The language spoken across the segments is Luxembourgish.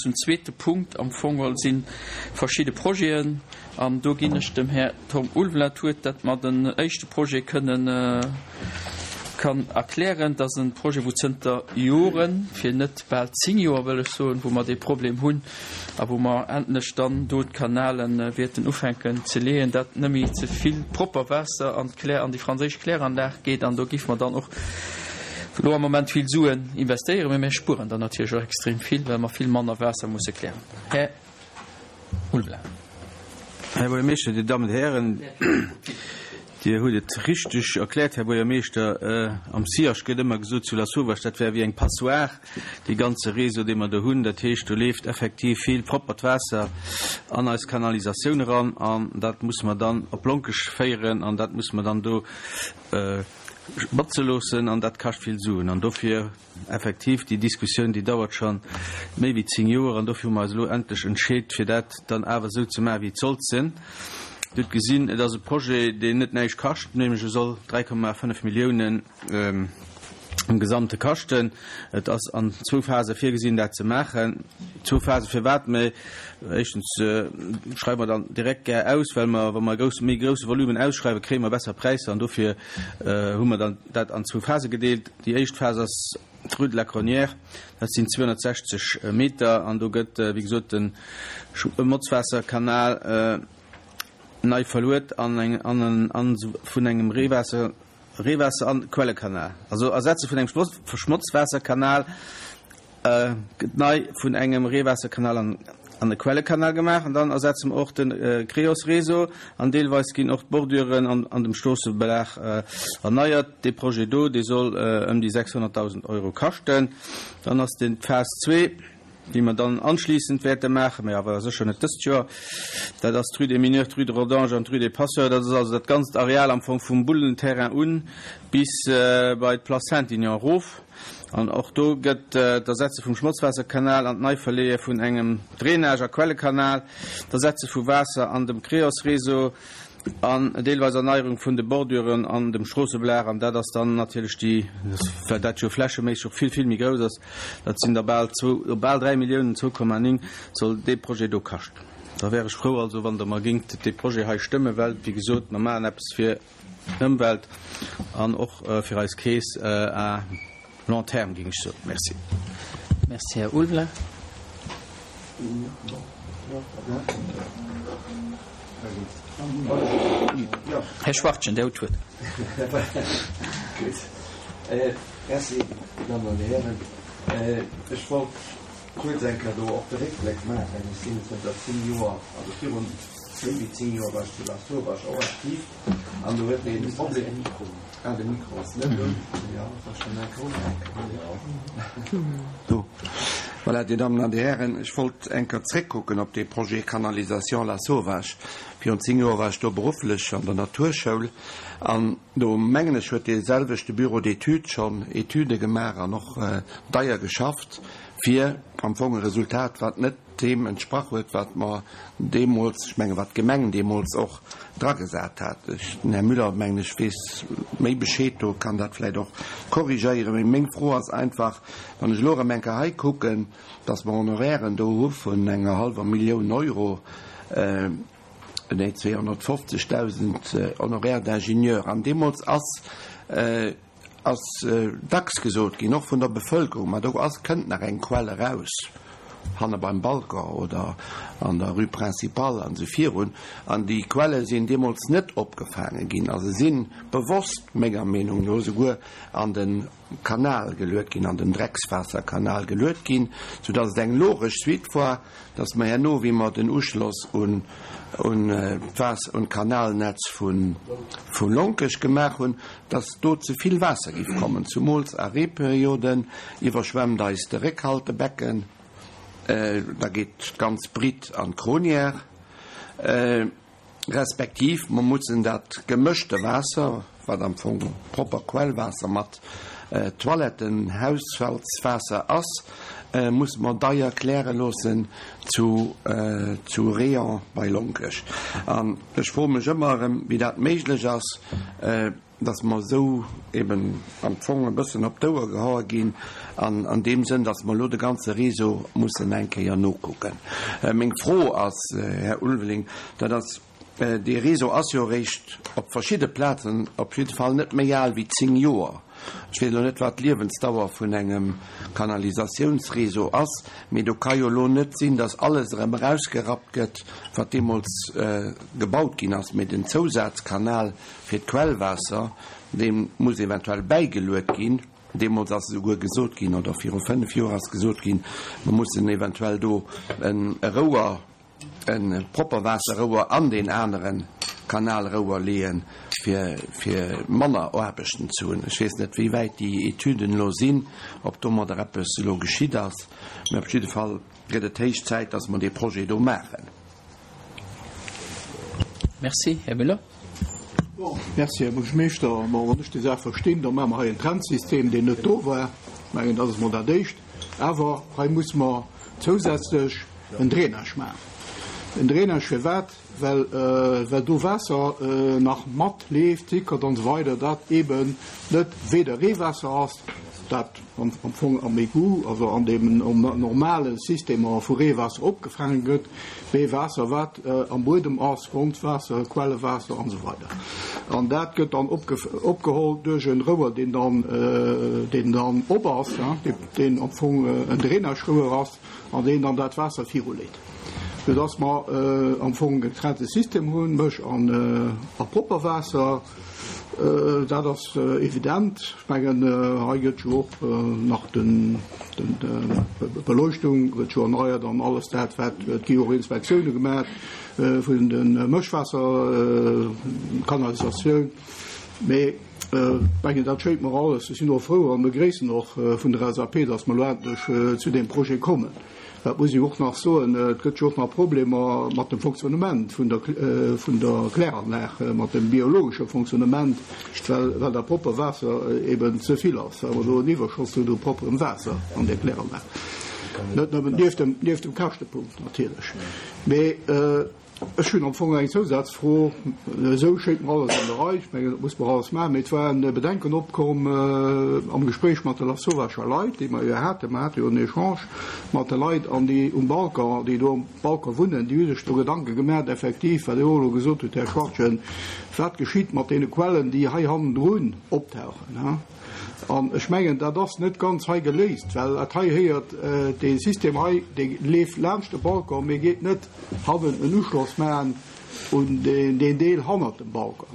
zum zweete Punkt. Am Fong geholl si verschidde Projeten an do ginn ech dem Här Tom Ulveler d'Wuert, dat mer den éischte Projet kënnen kann erklären. Dat ass e Projet, wou zënter Joren, fir net bal 10 Joer wëll ech soen, wou mer dee Problem hunn a wou mer endlech dann do d'Kanale wäerten ufänken ze leeën, dat net méi ze vill propper Waasser an d'Klär, an déi franséisch Kläranlag geet. An do géife mer dann och elo am Moment vill Suen investéieren, mä mir spueren dann natierlech och extrem vill, well mer vill manner Waasser musse klären. Här Ulveler. Här Buergermeeschter, Dir Dammen, Dir Hären, Dir hutt et richteg erkläert, Här Buergermeeschter. Am SIAG gëtt ëmmer gesot zu Lasauvage, dat wär wéi eng Passoire, dee ganze Réseau, dee mer do hunn. Dat heescht, do leeft effektiv vill proppert Waasser an eis Kanalisatioun eran an dat musse mer dann op Lonkech féieren an dat musse mer dann do botze loossen an dat kascht vill Suen. An dofir Effektiv, déi Diskussioun, déi dauert scho méi wéi 10 Joer an dofir hu mer eis elo endlech entscheet, fir dat dann awer esou ze maachen, wéi et sollt sinn. Dir hutt gesinn, et ass e Projet, deen net näischt kascht, nämlech e soll 3,5 Milliounen am Gesamte kaschten. Et ass an zwou Phase virgesinn, dat ze maachen. Zwou Phase firwat? Mä éischtens schreiwe mer dann direkt gär aus, well mer, wa mer e grousse, méi grousse Volumen ausschreiwen, kréie mer besser Präisser an dofir hu mer dann dat an zwou Phase gedeelt. Déi éischt Phas ass d'Rue de la Cronière, dat sinn 260 Meter an do gëtt, wéi gesot, de Schmotzwaasserkanal nei verluet an vun engem Reewaasser, Reewaasser an Quellekanal, also Ersetze vun engem Schmotzwaasserkanal. Gëtt nei vun engem Reewaasserkanal an an e Quellekanal gemaach an dann ersetze mer och de Creos-Réseau an deelweis ginn och d'Borduren an an dem Stroossebelag erneiert. Dee Projet do, dee soll ëm déi 600.000 Euro kaschten. Dann ass den d'Phas zwee, déi mer dann anschliissend wäerte maachen, mä awer sécher net dëst Joer, dat ass d'Rue des Mineurs, d'Rue de Rodange an d'Rue des Passeurs. Dat ass also dat ganzt Areal am Fong vum Bullenterrain un bis bei d'Place Saint-Aignan erof. An och do gëtt d'Ersetze vum Schmotzwaasserkanal an d'Neiverleeë vun engem Drainage a Quellekanal, d'Ersetze vu Waasser an dem Creos-Réseau an deelweis Erneierung vun de Borduren an dem Stroossebelag. An dat ass dann natierlech déi, well dat jo flächeméisseg och vill, vill méi grouss ass, dat sinn da bal zwou, bal 3 Milliounen, 2,9 soll dee Projet do kaschten. Da wär ech frou also, wann Der mer géingt dee Projet hei stëmmen, well, wéi gesot, mer maachen eppes fir Ëmwelt an och fir eis Keess à long terme, géing ech soen. Merci. Merci, Här Ulveler. Här Schwachtgen, Dir hutt d'Wuert. Gutt. Merci, Dir Dammen an Dir Hären. Ech wollt kuerz eng Kéier do och de Réckbléck maachen. Ech sinn zënter 10 Joer, also virun méi wéi 10 Joer war ech zu Lasauvage och aktiv. An do huet een de Problem, ah de Mikro ass net un, jo ass schonn eng Kéier do. Voilà, Dir Dammen an Dir Hären, ech wollt eng Kéier zréckkucken op dee Projet Canalisation Lasauvage. Virun 10 Joer war ech do berufflech an der Naturschoul an do, mengen ech, huet dee selwechte Bureau d'études schonn Etüde gemaach an och deier geschafft, fir am Fong e Resultat, wat net deem entsprach huet, wat mer deemools, ech menge wat d'Gemeng deemools och dragesat hat. Ech, den Här Müller, mengen ech, weess méi Bescheed do, kann dat vläicht och korrigéieren. Mee meng Fro ass einfach, wann ech elo erëm eng Kéier hei kucken, dass mer Honorairen do hu vun enger hallwer Millioun Euro, nee 250.000 Honoraires d'ingénieur, an deemools ass, ass dacks gesot ginn, och vun der Bevölkerung, ma do ass, kënnt nach eng Quell eraus, hanne beim Balcon oder an der Rue Principale an esou virun. An déi Quelle sinn deemools net opgefaange ginn a se si bewosst, menger Meenung no, souguer an de Kanal geluet ginn, an den Dreckswaasserkanal geluet ginn, soudatt et eng logesch Suite war, dass mer herno, wéi mer den Uschloss un d'Waas un d'Kanalnetz vu Lonkech gemaach hunn, dass do ze vill Waasser giff kommen, zumools a Reeperioden iwwerschwemmt eis de Réckhaltebecken, da geet d'ganz Britt an d'Cronière. Respektiv mer mussen dat gemëschte Waasser, wat am Fong propper Quellwaasser mat Toiletten, Haushaltswaasser ass, musse mer deier kläre loossen zu zu Réant bei Lonkech. An ech froe mech ëmmer erëm, wéi dat méiglech ass. dass mer esou eben am Fong e bëssen op d'Ouer gehaue ginn an an deem Sënn, dass mer elo de ganze Réseau mussen eng Kéier nokucken. Meng Fro ass, Här Ulveling, dat ass, Dee Réseau ass jo eréischt op verschidde Plazen op jidde Fall net méi al wéi 10 Joer. Ech weess elo net, wat d'Liewensdauer vun engem Kanalisatiounsréseau ass, mee do ka jo elo net sinn, datt alles erëm erausgerappt gëtt, wat deemools gebaut ginn ass. Mee den Zousazkanal fir d'Quellwaasser, dee muss eventuell bäigeluet ginn. Deemools ass esouguer gesot ginn, oder viru 5 Joer ass gesot ginn, mer mussen eventuell do e Rouer, e Propperwaasserrouer an deen anere Kanalrouer leeën, fir, fir manner Aarbechten ze hunn. Ech weess net, wéi wäit déi Etüden elo sinn, ob domadder eppes elo geschitt ass, mä op jidde Fall gëtt et héich Zäit, dass mer dee Projet do maachen. Merci. Här Müller. Bon, merci, Här Buergermeeschter. Bon, wann ech déi Saach verstinn, da maache mer hei en Trennsystem, deen net do war. Ech mengen, dat ass emol dat Éischt. Awer hei musse mer zousätzlech en Drainage maachen. En Drainage firwat? Well, well do Waasser nach matleeft, sickert an esou weider, dat eeben net weder Reewaasser ass, dat am Fong am Égout, also an deem normale Systemer vu Reewaasser opgefaange gëtt, mee Waasser wat am Buedem ass, Grondwaasser, Quellewaasser an esou weider. An dat gëtt dann opgeholl duerch e Rouer, deen dann, deen dann op ass, deen am Fong en Drainagerouer ass an deen dann dat Waasser viruleet, soudass mer am Fong e getrennte System hunn, Mësch an a propper Waasser. Dat ass evident. Ech mengen, hei gëtt jo och nach d'Beleuchtung gëtt jo erneiert an alles dat, wat, et gi och Inspektioune gemaach vun de Mëschwaasserkanalisatioun. Mee ech mengen, dat schéint mer alles. Ech sinn och frou an begréissen och vun der LSAP, datt mer elo endlech zu deem Projet kommen. Dat muss ech och nach soen, et gëtt jo och nach Problemer mat dem Fonctionnement vun der, vun der Kläranlag, mat dem biologesche Fonctionnement, well, well dat propper Waasser eben ze vill ass, well mer do en Iwwerschoss hunn u propperem Waasser an där Kläranlag. Net nëmmen, nieft dem, nieft dem Käschtepunkt natierlech. Mee Ech hunn am Fong eng Zousazfro. Esou schéngt mer alles an der Rei. Ech mengen, dat muss mer alles maachen. Mee et waren Bedenken opkomm am Gespréich mat de Lasauvagher Leit, déi mer jo haten. Mer hate jo en Echange mat de Leit an déi um Balcon, déi do um Balcon wunnen, déi hu sech do Gedanke gemaach, effektiv, wat Dir och elo gesot hutt, Här Schwachtgen, wat geschitt mat deene Quellen, déi hei hannendrun optauchen. An ech mengen, dat ass net ganz hei geléist, well dat hei héiert, dee System hei, dee leeft laanscht de Balcon, mee geet net hannen en Uschloss maachen un deen Deel hannert dem Balcon.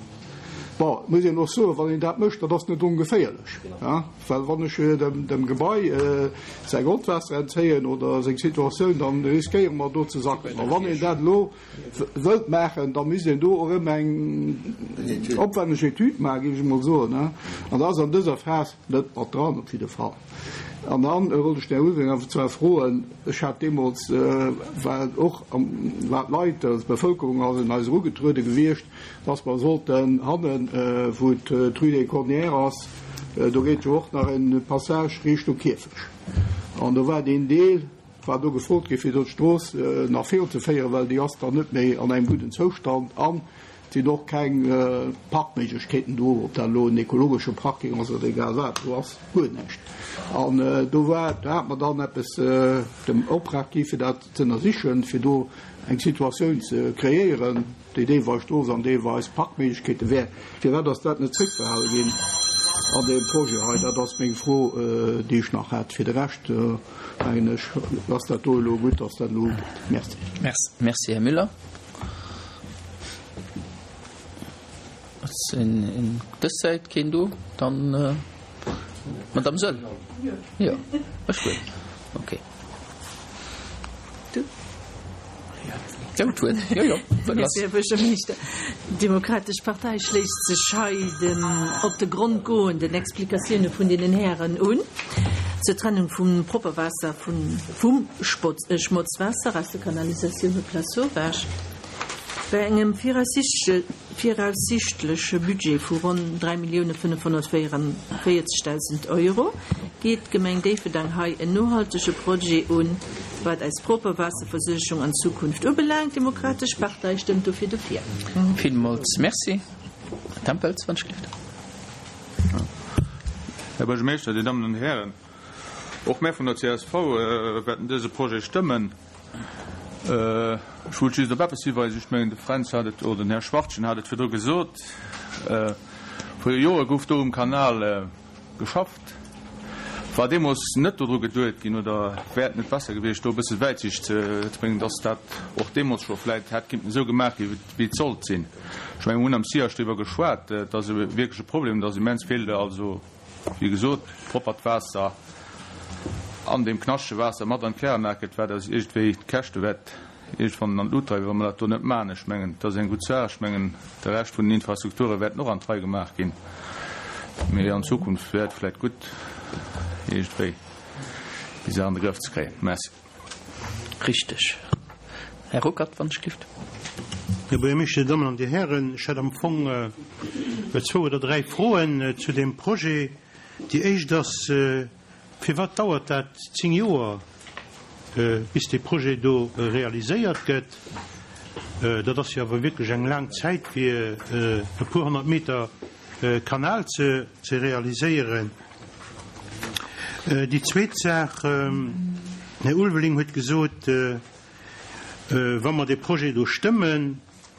Bon, et muss een och soen, wann een dat mécht, dat ass net ongeféierlech, well wann ech dem Gebai säi Grondwaasser entzéien oder seng Situatioun, da riskéiere mer do ze sacken. A wann een dat elo wëllt maachen, da misst een do och erëm eng opwenneg Etüd maachen, géif ech emol soen. An dat ass an dëser Phas net mat dran, op jidde Fall. An dann wollt ech den Här Ulveling awer zwar froen, ech hat deemools, war et och, war d'Leit, also d'Bevëlkerung ass un eis erugetruede gewiescht, dass mer sollten hannen, wou d'Rue des Cornières ass, do geet jo och nach e Passage Richtung Kierfech, an do war deen Deel, war do gefrot ginn, fir do d'Strooss nach virunzeféieren, well déi ass dann net méi an engem gudden Zoustand an et sinn och keng Parkméiglechkeeten do, ob dat elo en ekologesche Parking ass oder egal wat, do ass guer näischt. An do war, do hate mer dann eppes dem Optrag gi fir dat ze ënnersichen, fir do eng Situatioun ze kreéieren, déi deelweis Strooss an deelweis Parkméiglechkeete wär. Firwat ass dat net zréckbehale ginn an deem Projet hei? Dat ass meng Fro, déi ech nach hätt. Fir de Rescht mengen ech, ass dat do elo gutt, dass dat elo ugeet. Merci. Merci, Här Müller. Ass un dës Säit keen do? Dann d'Madame Soll. Jo, ech gutt. Okay. Jo, d'Wuert. Jo, jo, d'Wuert ass. Merci, Här Buergermeeschter. D'Demokratesch Partei schléisst sech hei den op de Grond goenden Explikatioune vun deenen Hären un zur Trennung vum Propperwaasser vum Schmotzwaasser aus der Kanalisatioun op Lasauvage. Bei engem viraussiichtleche Budget vu ronn 3.544.000 Euro geet d'Gemeng Déifferdang hei en nohaltege Projet un, wat eis propper Waasserversuergung an Zukunft ubelaangt. D'Demokratesch Partei stëmmt dofir dofir. Villmools Merci. Här Tempels, wann ech gelift. Här Buergermeeschter, Dir Dammen an Hären, och mär vun der csv wäerten dëse Projet stëmmen. Ech wollt just op eppes hiweisen, ech mengen de Fränz hat et, oder den Här Schwachtgen hat et virdru gesot, Vor Jore gouf do um Kanal geschafft. War deemools net dodru geduet ginn, oder wär et net besser gewiescht, do e bësse Wäitsicht ze bréngen, dass dat och deemools scho vläit hätt kinnten esou gemaach ginn, wéi et sollt sinn? Ech mengen, mir hunn am SIAG driwwer geschwat, et ass e wierkleche Problem, dass immens vill, also wéi gesot, proppert Waasser an deem knaschtege Waasser mat an d'Kläranlag gëtt, wat eis iergendwéi d'Käschte wäert iergendwann an d'Lut dreiwen, wa mer dat do net maachen. Ech mengen, et ass eng gutt Saach. Ech mengen, de Rescht vun den Infrastrukture wäerten och an d'Rei gemaach ginn. Mee an Zukunft wär et vläicht gutt, iergendwéi déi Saach an de Grëff ze kréien. Merci. Richteg. Här Ruckert, wann ech gelift. Här Buergermeeschter, Dir Dammen an Dir Hären, ech hätt am Fong zwou oder dräi Froen zu deem Projet. Déi éischt ass, Firwat dauert dat 10 Joer, bis dee Projet do realiséiert gëtt? Dat ass jo awer wierklech eng laang Zäit, fir e puer 100 Meter Kanal ze realiséieren. Déi zweet Saach, Den Här Ulveling huet gesot, wa mer dee Projet do stëmmen,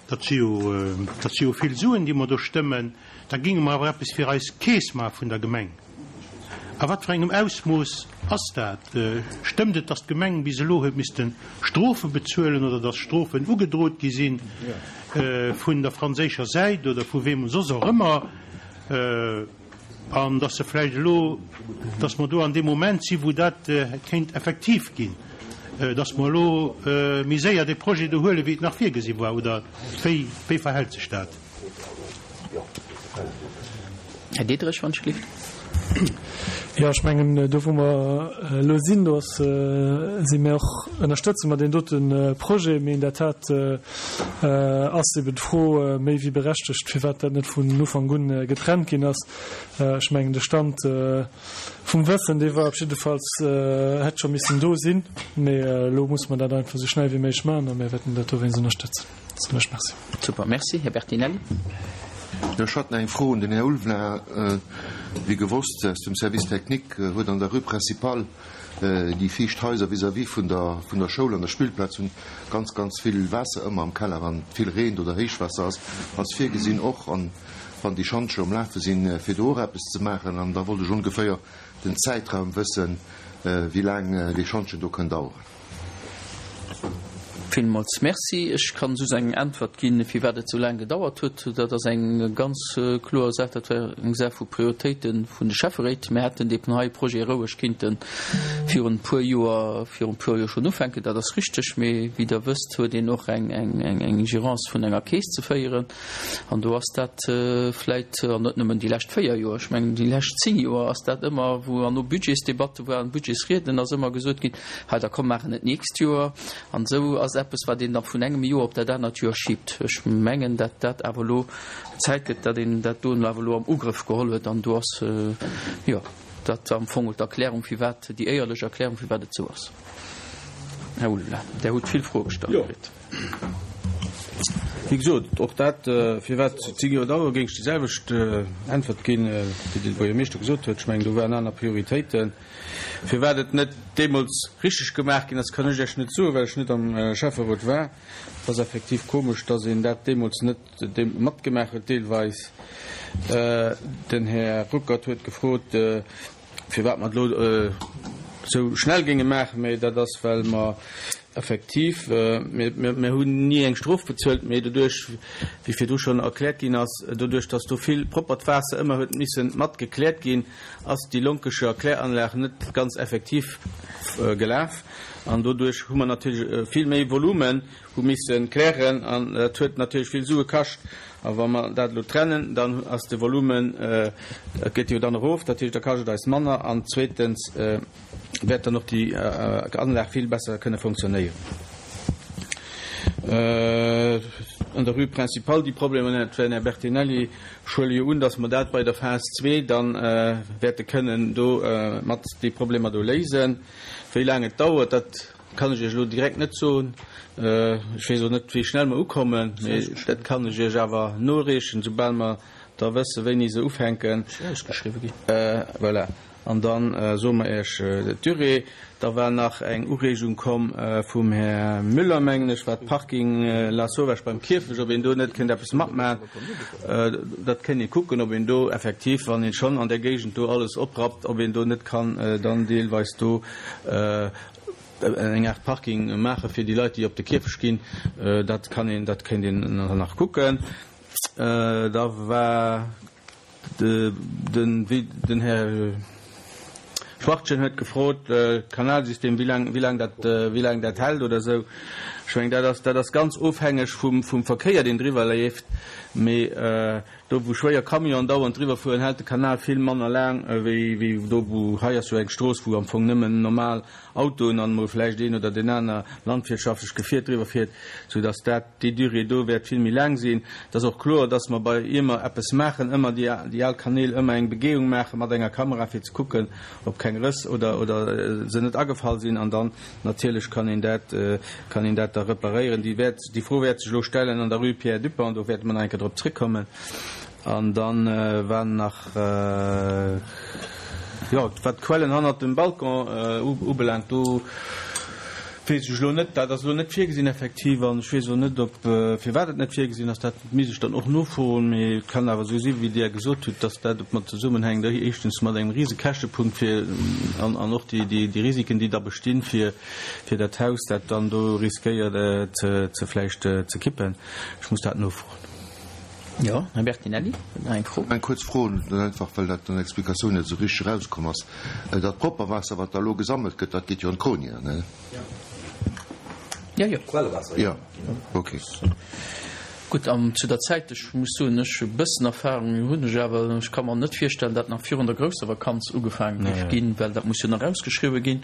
Dat si jo, dat si jo vill Suen, déi mer do stëmmen. Da géinge mer awer eppes fir eis Keess maache vun der Gemeng. A wat fir engem Ausmooss ass dat? Stëmmt et, datt d'Gemeng bis elo huet misste Strofe bezuelen oder datt Strofen ugedrot gi si vun der franséischer Säit oder vu weem soss och ëmmer? An dass se vläicht elo, dass mer do an deem Moment si wou dat kéint effektiv ginn, dass mer elo méi séier dee Projet do huelen, wéi et nach virgesi war, oder wéi, wéi verhält sech dat? Här Diderich, wann ech gelift. Jo, ech mengen, do wou mer elo sinn, do ass, si mir och, ënnerstëtze mer deen dote Projet. Mee in der Tat ass eben d'Fro méi wéi berechtegt, firwat dat net vun Ufank un getrennt ginn ass. Ech mengen, de Stand vum Wëssen, dee war op jiddefalls, hätt scho missen do sinn. Mee elo musse mer dat einfach esou schnell wéi méiglech maachen a mir wäerten dat dowéinst ënnerstëtzen. Soen ech Merci. Super, Merci. Här Bertinelli. Jo, ech hat nach eng Fro un den Här Ulveling. Wéi gewosst aus dem Service technique huet an der Rue Principale déi viischt Haiser vis-à-vis vun der vun der Schoul an der Spillplaz hunn ganz, ganz vill Waasser ëmmer am Keller, wann vill reent oder Héichwaasser ass. Ass virgesinn och, an wann déi Schantje um Lafe sinn, fir do och eppes ze maachen? An da wollt ech ongeféier den Zäitraum wëssen, wéi laang dee Schantjen do kënn daueren. Villmools Merci. Ech kann just eng Äntwert ginn, firwat et esou laang gedauert huet. Dat ass eng ganz kloer Saach, dat war eng Saach vu Prioritéite vun de Schäfferéit. Mir hätten dee hei Projet roueg kinnte virun e puer Joer, virun e puer Joer schonn ufänken, dat ass richteg. Mee wéi Der wësst, huet een och eng Gérance vun enger Keess ze féieren. An do ass dat vläit, an net nëmmen déi lescht 4 Joer, ech mengen déi lescht 10 Joer ass dat ëmmer, wou an no Budgetsdebatte waren, Budgetsrieden, ass ëmmer gesot ginn, hei da komm maachen et d'nächst Joer. An esou ass eppes, wat een da vun engem Joer op dat anert Joer schiebt. Ech mengen, dat dat awer elo Zäit gëtt, datt een dat do awer elo am Ugrëff geholl huet. An do ass, jo, dat am Fong d'Erklärung, firwat, déi éierlech Erklärung, firwat et esou ass. Här Ulveling, Der hutt vill Froe gestallt kritt. Wéi gesot, och dat, firwat 10 Joer dauere, géing ech déi selwecht Äntwert ginn, wéi de Buergermeeschter gesot huet. Ech mengen, do waren aner Prioritéiten. Firwat et net deemools richteg gemaach ginn ass, kann ech Iech net soen, well ech net am Schäfferot war. Et ass effektiv komesch, dass een dat deemools net matgemaach huet deelweis. Den Här Ruckert huet gefrot, Firwat mer et elo esou schnell géinge maachen, mä dat ass, well mer effektiv, mir hunn ni eng Strof bezuelt, mä doduerch, wéi virdu schonn erkläert ginn ass, doduerch, datt do vill proppert Waasser ëmmer huet misse mat gekläert ginn, ass déi Lonkescher Kläranlag net ganz effektiv gelaf. An doduerch hu mer natierlech vill méi Volumen hu misse klären an dat huet natierlech vill Sue kascht. A wa mer dat elo trennen, dann ass de Volumen, et geet jo dann erof, dat heescht, da kascht et eis manner an zweetens wäert dann och déi Anlag vill besser kënne fonctionnéieren. An der Rue Principale déi Problemer, dat war den Här Bertinelli, ech huele jo un, datt mer dat bei der Phas zwee da wäerte kënnen do mat déi Problemer do léisen. Wéi laang et dauert, dat Kann ech Iech elo direkt net soen. Ech weess och net, wéi schnell mer ukommen, mee dat kann ech Iech awer noreechen, soubal mer. da wësse wéini se ufänken. Voilà. An da soe mer Iech d'Durée. Da war nach eng Ureegung komm vum Här Müller, mengen ech, wat d'Parking Lasauvage beim Kierfecht, ob een do net kéint eppes matmachen. Dat kéint ee kucken, ob een do effektiv, wann een schonn an där Géigend do alles oprappt, ob een do net kann dann deelweis do eng Aart Parking maache fir déi Leit, déi op de Kierfecht ginn. Dat kann een, dat kéint een nach kucken. Da war den Här Schwachtgen huet gefrot, d'Kanalsystem, wéi laang, wéi laang dat, wéi laang dat hält oder esou. Ech mengen, dat ass, dat ass ganz ofhängeg vum, vum Verkéier, deen driwwer leeft. Mee do, wou schwéier Camionen dauernd driwwer fueren, hält de Kanal vill manner laang wéi, wéi do, wou, hei ass jo eng Strooss, wou am Fong nëmmen normal Autoen an emol vläicht een oder deen aner landwirtschaftlech Gefier driwwer fiert, soudass dat, déi Durée do wäert vill méi laang sinn. Et ass och kloer, dass mer bei, ier mer eppes maachen, ëmmer déi, déi al Kanäl ëmmer eng Begehung maache mat enger Kamera, fir ze kucken, ob keng Rëss oder, oder se net agefall sinn. An dann natierlech kann een dat, kann een dat da reparéieren. Déi wäert, déi Fro wäert sech elo stellen an der Rue Pierre Dupong, do wäerte mer nach eng Kéier drop zréckkommen. An dann war nach, jo, wat d'Quellen hannert dem Balcon ubelaangt, do weess ech elo net, dat ass elo net virgesinn effektiv an ech weess och net, ob, firwat et net virgesinn ass, dat misst ech dann och nofroen. Mee et kann awer esou si wéi Dir gesot hutt, dass dat mat zesummenhänkt, éischtens mat engem rise Käschtepunkt fir an an och déi déi Risiken, déi da bestinn, fir fir dat Haus, dat dann do riskéiert ze ze vläicht ze kippen. Ech muss dat nofroen. Jo, Här Bertinelli huet nach eng Fro. Eng kuerz Fro, einfach well dat an der Explikatioun net esou richteg erauskomm ass. Dat Propperwaasser, wat da elo gesammelt gëtt, dat geet jo an d'Gronier, ne? Jo, jo. Quellewaasser, jo. Ok. Gutt, an zu der Zäit, ech muss soen, ech e bëssen Erfahrung hunn ech awer, ech ka mer net virstellen, dat nach virun der grousser Vakanz ugefaange géif ginn, well dat muss jo nach ausgeschriwwe ginn.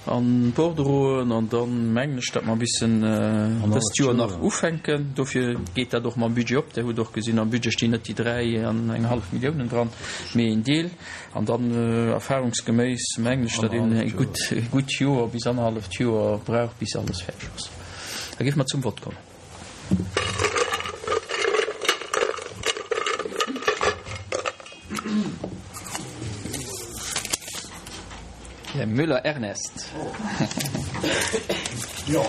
An d'Bordereauen, an dann mengen ech, datt mer e bissen dëst Joer nach ufänken. Dofir geet dat och mam Budget op. Der hutt och gesinn, am Budget stinn net déi 3 an eng hallef Milliounen dran, mee een Deel. An dann erfahrungsgeméiss mengen ech, datt een e gutt, e gutt Joer bis annerhalleft Joer brauch, bis alles fäerdeg ass. Da géife mer zum Vott kommen. Här Müller Ernest. Jo.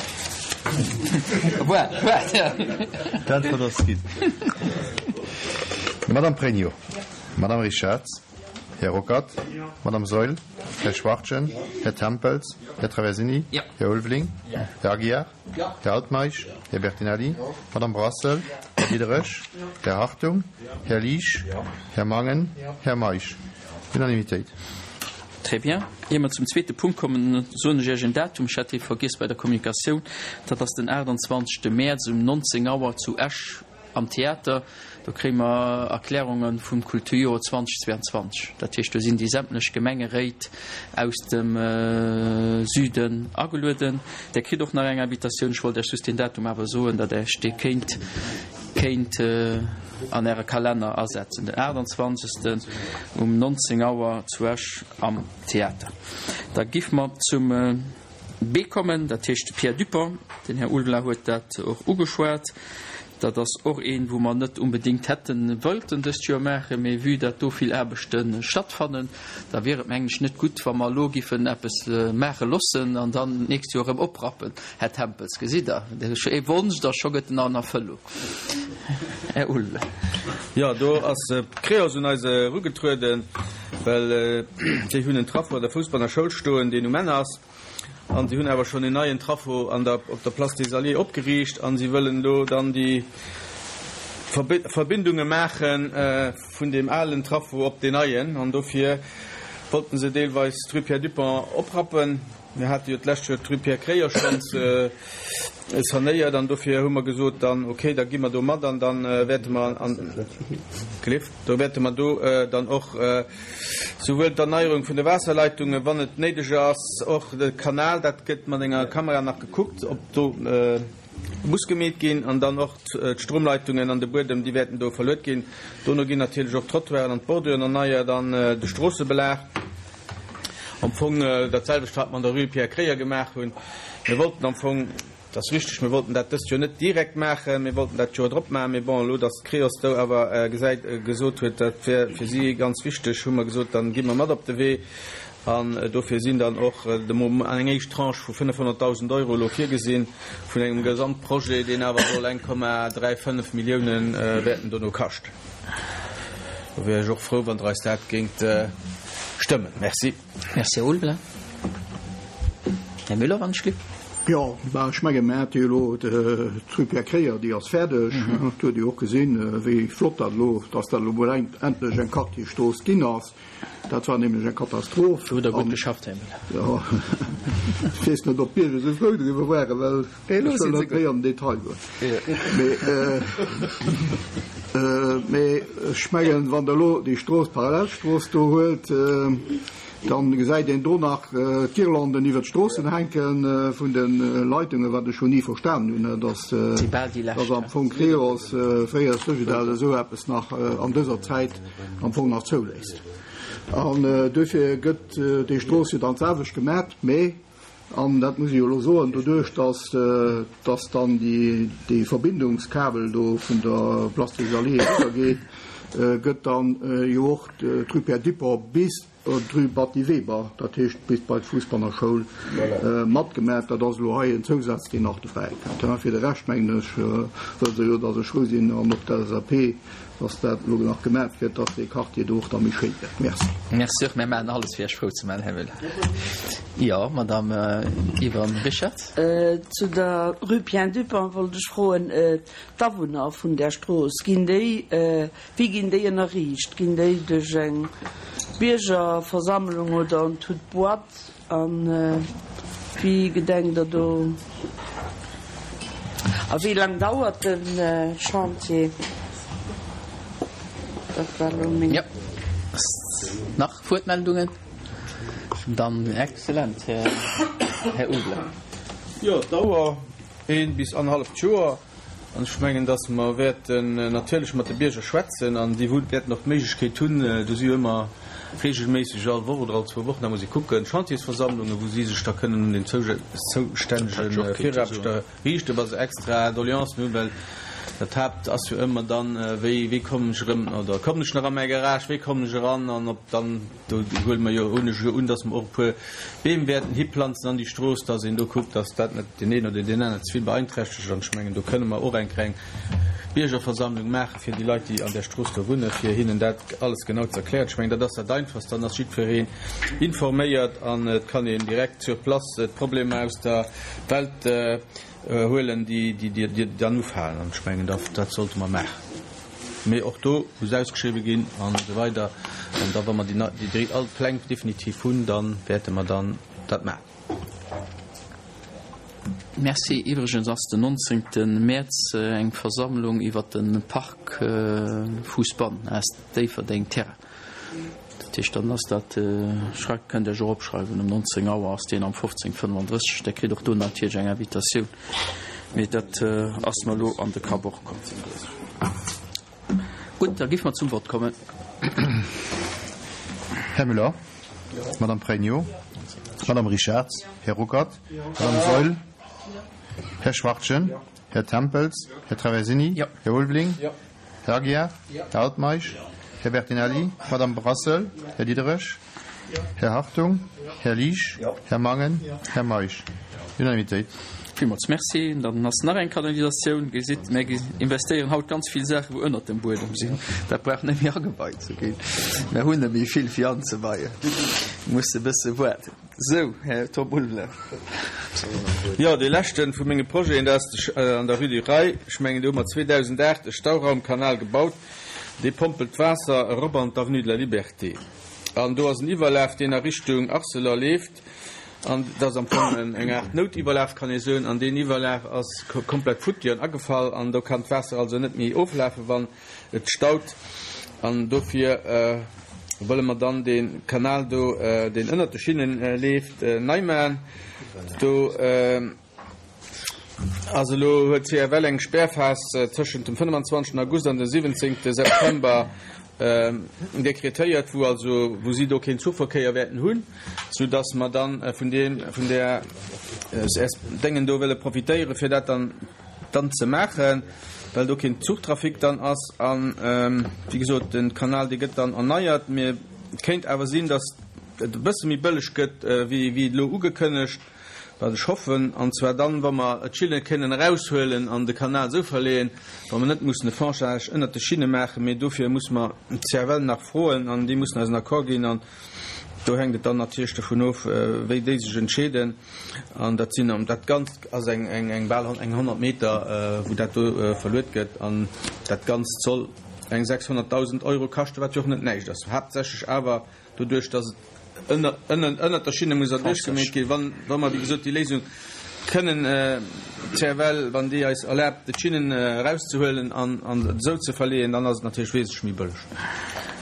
D'Äntwert ass ginn. Madame Pregno. Madame Richarz. Här Ruckert. Madame Saeul. Här Schwachtgen. Här Tempels. Här Traversini. Här Ulveling. Här Aguiar. Här Altmeisch, Här Bertinelli, Madame Brassel, Här Diderich, Här Hartung, Här Liesch, Här Mangen, Här Meisch. Unanimitéit. Très bien. Ier mer zum zweete Punkt kommen, soen ech Iech en Datum, ech hat dee vergiess bei der Kommunikatioun, dat ass den 28. Mäerz um 19 Auer zu Esch Am Theater, do kréie mer Erklärunge vum Kulturjoer 2022. Dat heescht, do sinn déi sämtlech Gemengeréit aus dem Süden agelueden. Der kritt och nach eng Invitatioun. Ech wollt Iech just deen Datum awer soen, datt Der Iech dee kéint kéint an Äre Kalenner asetzen, den 28. um 19 Auer zu Esch am Theater. Da giff mer zum B kommen, dat heescht de Pierre Dupong. Den Här Ulveling huet dat och ugeschwat. Dat ass och een, wou mer net unbedéngt hätte wëllten dëst Joer maachen, mee vue dat do vill Aarbechte stattfannen, da wier et, mengen ech, net gutt, wa mer elo giffen eppes maache loossen an dann d'nächst Joer erëm oprappen. Här Tempels, gesitt Der, ee Wonsch, da scho gëtt en an Erfëllung. Här Ulveling. Jo, do ass d'Creos un eis erugetrueden, well déi hunn en Traffo an der Fousbanner Schoul stoen, deen um Enn ass. An si hunn awer schonn en neien Traffo an der, op der Place des Alliés opgeriicht a si wëllen elo dann déi Verbindunge maache vun deem alen Traffo op deen neien. An dofir wollten se deelweis d'Rue Pierre Dupong oprappen. Mir hate jo d'lescht Joer d'Rue Pierre Kreyer schonns sanéiert an dofir hu mer gesot dann, okay, da gi mer do mat an da wäerte mer an, gelift, do wäerte mer do dann och souwuel d'Erneierung vun de Waasserleitungen, wann et néideg ass, och de Kanal, dat gëtt mat enger Kamera nach gekuckt, ob do muss gemeet ginn, an dann och d'Stromleitungen an de Buedem, déi wäerten do verluet ginn. Dono ginn natierlech och d'Trottoiren an d'Borduren erneiert an de Stroossebelag. Am Fong dat selwecht, wat mer an der Rue Pierre Kreyer gemaach hunn. Mir wollten am Fong. Et ass richteg, mir wollten dat dëst Joer net direkt maachen, mir wollten dat d'Joer drop maachen. Mee bon, elo datt d'Creos do awer gesäit, gesot huet, dat wär fir si ganz wichteg, hu mer gesot, dann gi mer mat op de Wee. An dofir sinn dann och de Moment eng éischt Tranche vu 500.000 Euro elo virgesinn, vun engem Gesamtprojet, deen awer soll 1,35 Milliounen wäerten dono kaschten. Do wär ech och frou, wann Der eis dat géingt stëmmen. Merci. Merci, Här Ulveling. Här Müller, wann ech lift. Jo, bah, ech mengen, mir hate jo elo d'Rue Pierre Kreyer, déi ass fäerdeg. Et huet ee jo och gesinn, wéi flott dat elo, dass dat elo mol endlech eng Quartierstrooss ginn ass. Dat war nämlech eng Katastroph. Do hutt Der gutt geschafft, Här Müller. Jo, ech weess net, ob d'Bierger esou frou driwwer waren, well ech wëll net méi an den Detail goen. Mee ech mengen, wann Der elo déi Strooss, d'Parallelstrooss do huelt, dann gesäit een do nach d'Guirlanden iwwert d'Stroossen hänke vun de Leitungen, wat ech jo ni verstanen hunn, dass dass am Fong Creos, fréier Sogedal, esou eppes nach an dëser Zäit am Fong nach zouléisst. An duerfir gëtt déi Strooss jo dann d'selwecht gemat, mee An dat muss ech jo elo soen, doduerch dass, dass dann déi, dee Verbindungskabel do vun der Place des Alliés eriwwergeet, gëtt dann jo och d'Rue Pierre Dupong bis d'Rue Batty Weber, dat heescht bis bei d'Fuussbanner Schoul, matgemat. Dat ass elo hei en Zousaz, deen nach dobäi kënnt. Fir de Rescht, mengen ech, wësst Der jo, dass ech frou sinn, an och d'LSAP, dass dat elo nach gemat gëtt, dass dee Quartier do och da méi schéin gëtt. Merci. Merci och. Mir maachen alles, fir Iech frou ze maachen, Här Müller. Jo, Madame Yvonne Richard. Zu der Rue Pierre Dupong wollt ech froen, d'Awunner vun där Strooss, ginn déi, wéi ginn déi ënnerriicht? Ginn déi duerch eng Biergerversammlung oder en toute boîte? A wéi gedenkt Der do? A wéi laang dauert de Chantier? Dat war elo meng. Jo. Nach Wuertmeldungen? Dann exzellent, Här Ulveling. Jo, d'Dauer, een bis annerhalleft Joer. An ech mengen, dass mer wäerten natierlech mat de Bierger schwätzen an déi wäerten och d'Méiglechkeet hunn, do si jo ëmmer regelméisseg all Woch oder all zwou Wochen, da muss ee kucken, Chantiersversammlungen, wou si sech da kënnen un den zoustännege Viraarbechter riichten, wa se extra Doleancen hunn, well dat Haapt ass jo ëmmer dann, wéi, wéi kommen ech erëm oder kommen ech nach a mäi Garage, wéi kommen ech eran an ob dann. Do huele mer jo, hunn ech jo un, dass mer och e puer Beem wäerten hiplanzen an déi Strooss, dass een do kuckt, dass dat net deen een oder deen aneren ze vill beeinträchtegt. An ech mengen, do kënne mer och eng kleng Biergerversammlung maache fir déi Leit, déi an där Strooss do wunnen, fir hinnen dat alles genau ze erklären. Ech mengen, dat ass dat Einfachst, dann ass jiddwereen informéiert an et kann een direkt sur place d'Problemer aus der Welt huelen, déi dann ufalen. An ech mengen, dat sollte mer maachen. Mee och do muss ausgeschriwwe ginn an esou weider. An da wa mer déi all Pläng definitiv hunn, da wäerte mer dann dat maachen. Merci. Iwwregens ass den 19. Mäerz eng Versammlung iwwert de Park Fousbann aus Déifferdeng Terrain. Dat heescht, dann ass dat, schrei, kënnt Iech och opschreiwen, um 19 Auer ass deen am 15.35. Der kritt och do natierlech eng Invitatioun, mee dat ass mer elo an de Kapp och komm. Gutt, da géife mer zum Vott kommen. Här Müller? Madame Pregno? Madame Richard? Här Ruckert? Madame Saeul? Här Schwachtgen? Här Tempels? Här Traversini? Här Ulveling? Här Aguiar, Här Altmeisch, Här Bertinelli, Madame Brassel, Här Diderich, Här Hartung, Här Liesch, Här Mangen, Här Meisch. Unanimitéit. Villmools Merci. Dann ass nach eng Kanalisatioun. Gesitt, mir investéieren haut ganz vill Saachen, wou ënnert dem Buedem sinn. Dat brauch net méi ageweit ze ginn. Mir hunn net méi vill fir anzeweien. Muss e bësse waarden. Sou, Här Tom Ulveling. Jo, dee leschte vu menge Projeten, dat ass an der Rue du Rail. Ech mengen, do hu mer 2008 e Stauraumkanal gebaut. Dee pompelt d'Waasser erop an d'Avenue de la Liberté. An do ass en Iwwerlaf, deen a Richtung Arcelor leeft. An dat ass am Fong eng Aart Noutiwwerlaf, kann ee soen. An deen Iwwerlaf ass komplett futti an agefall. An do kann d'Waasser also net méi oflafen, wann Et staut an dofir wëlle mer dann dee Kanal do, deen ënnert de Schinnen leeft, nei maachen. Do. Also elo huet d'CFL eng Spärphas tëschent dem 25 August an dem 17 September dekretéiert, wou also wou si do keen Zuchverkéier wäerten hunn, soudass mer dann vun deem vun där Déngen do wëlle profitéieren, fir dat dann dann ze maachen, well do keen Zuchtrafic dann ass. An wéi gesot, de Kanal dee gëtt dann erneiert. Mee et kéint awer sinn, datt et e bësse méi bëlleg gëtt wéi wéi elo ugekënnegt. Wat ech hoffen, an zwar dann, wa mer d'Schinne kënnen eraushuelen an de Kanal esou verleeën, wa mer net mussen e Franchage ënnert de Schinne maachen, mee dofir musse mer d'CFL nach froen an déi mussen eis en Accord ginn an do hänkt et dann natierlech dovun of, wéi déi sech entscheeden. An dat sinn, dat Ganzt ass eng, eng, eng bal eng 100 Meter, wou dat do verluet gëtt an dat Ganzt soll eng 600.000 Euro kaschten, wat jo och net näischt ass, haaptsächlech awer Doduerch, dass et ënner, ënner, ënnert der Schinne muss erduerchgemeet ginn, wann, wa mer, wéi gesot, déi Léisung kënnen, d'CFL, wann déi eis erlaabt, d'Schinnen erauszehuelen an, an esou ze verleeën, dann ass et natierlech wesentlech méi bëlleg.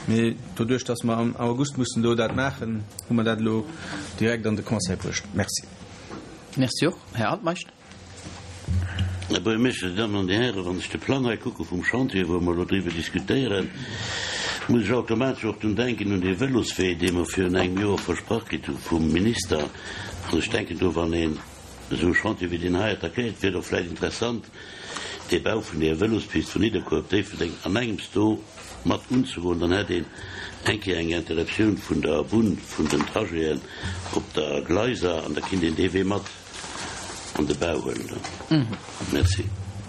Mee doduerch, dass mer am August mussen do dat maachen, hu mer dat elo direkt an de Conseil bruecht. Merci. Merci och. Här Altmeisch. Här Buergermeeschter, Dir Dammen an Dir Hären, wann ech de Plang hei kucke vum Chantier, wou mer elo driwwer diskutéieren, muss ech automatesch och drun denken un dee Vëloswee, dee mer virun engem Joer versprach kritt hu vum Minister. An ech denken do, wann een esou e Chantier wéi deen hei attackéiert, wier et och vläicht interessant, dee Bau vun där Vëlospist vun Nidderkuer op Déifferdeng an engems do mat unzegoen. Dann hätt een eng Kéier eng Interruptioun vun der Bunn vun den Trajeten op der Gleiser an da kinnt een dee Wee mat an de Bau huelen dann. Merci.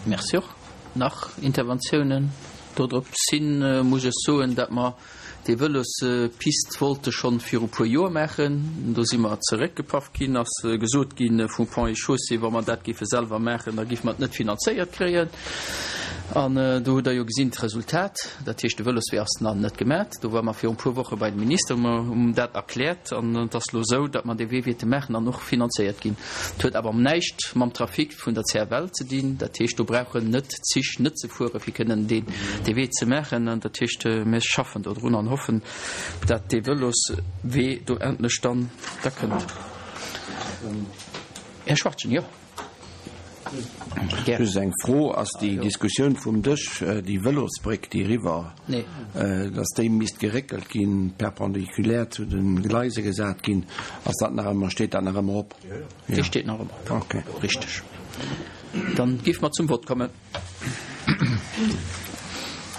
Merci och. Nach Interventiounen dodrop sinn, muss ech soen, datt mer déi Vëlospist wollte schonn viru puer Joer maachen. Do si mer zeréckgepaff ginn, ass gesot gi vum Ponts et Chaussées, wa mer dat géife selwer maachen, da géife mer et net finanzéiert kréien. An do hutt Der jo gesinn d'Resultat. Dat heescht, de Vëloswee ass nach net gemat. Do ware mer virun e puer Woche bei dem Minister, hu mer him dat erkläert. An et ass elo esou, datt mer dee Wee wäerte maachen an och finanzéiert ginn. Et huet awer näischt mam Trafic vun der CFL ze dinn. Dat heescht, do brauchen net d'Zich net ze fuere fir kënnen deen dee Wee ze maachen. An dat heescht, mir schaffen do drun an hoffen, datt dee Vëloswee do endlech dann da kënnt. Här Schwachtgen, jo. Just eng Fro, Ass déi Diskussioun vum Dësch, déi Vëlosbréck, déi eriwwer, dass déi misst geréckelt ginn, perpendiculaire zu de Gleise gesat ginn, ass dat nach ëmmer, steet dat nach ëmmer op? Déi steet nach ëmmer op. Okay. Richteg. Dann géife mer zum Vott kommen.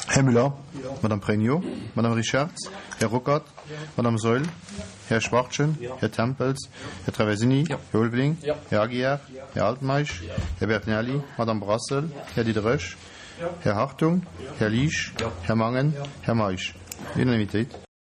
Här Müller? Madame Pregno? Madame Richarz? Här Ruckert? Madame Saeul? Här Schwachtgen? Här Tempels? Här Traversini? Här Ulveling? Här Aguiar? Här Altmeisch? Här Bertinelli? Madame Brassel? Här Diderich? Här Hartung? Här Liesch? Här Mangen? Här Meisch? Unanimitéit.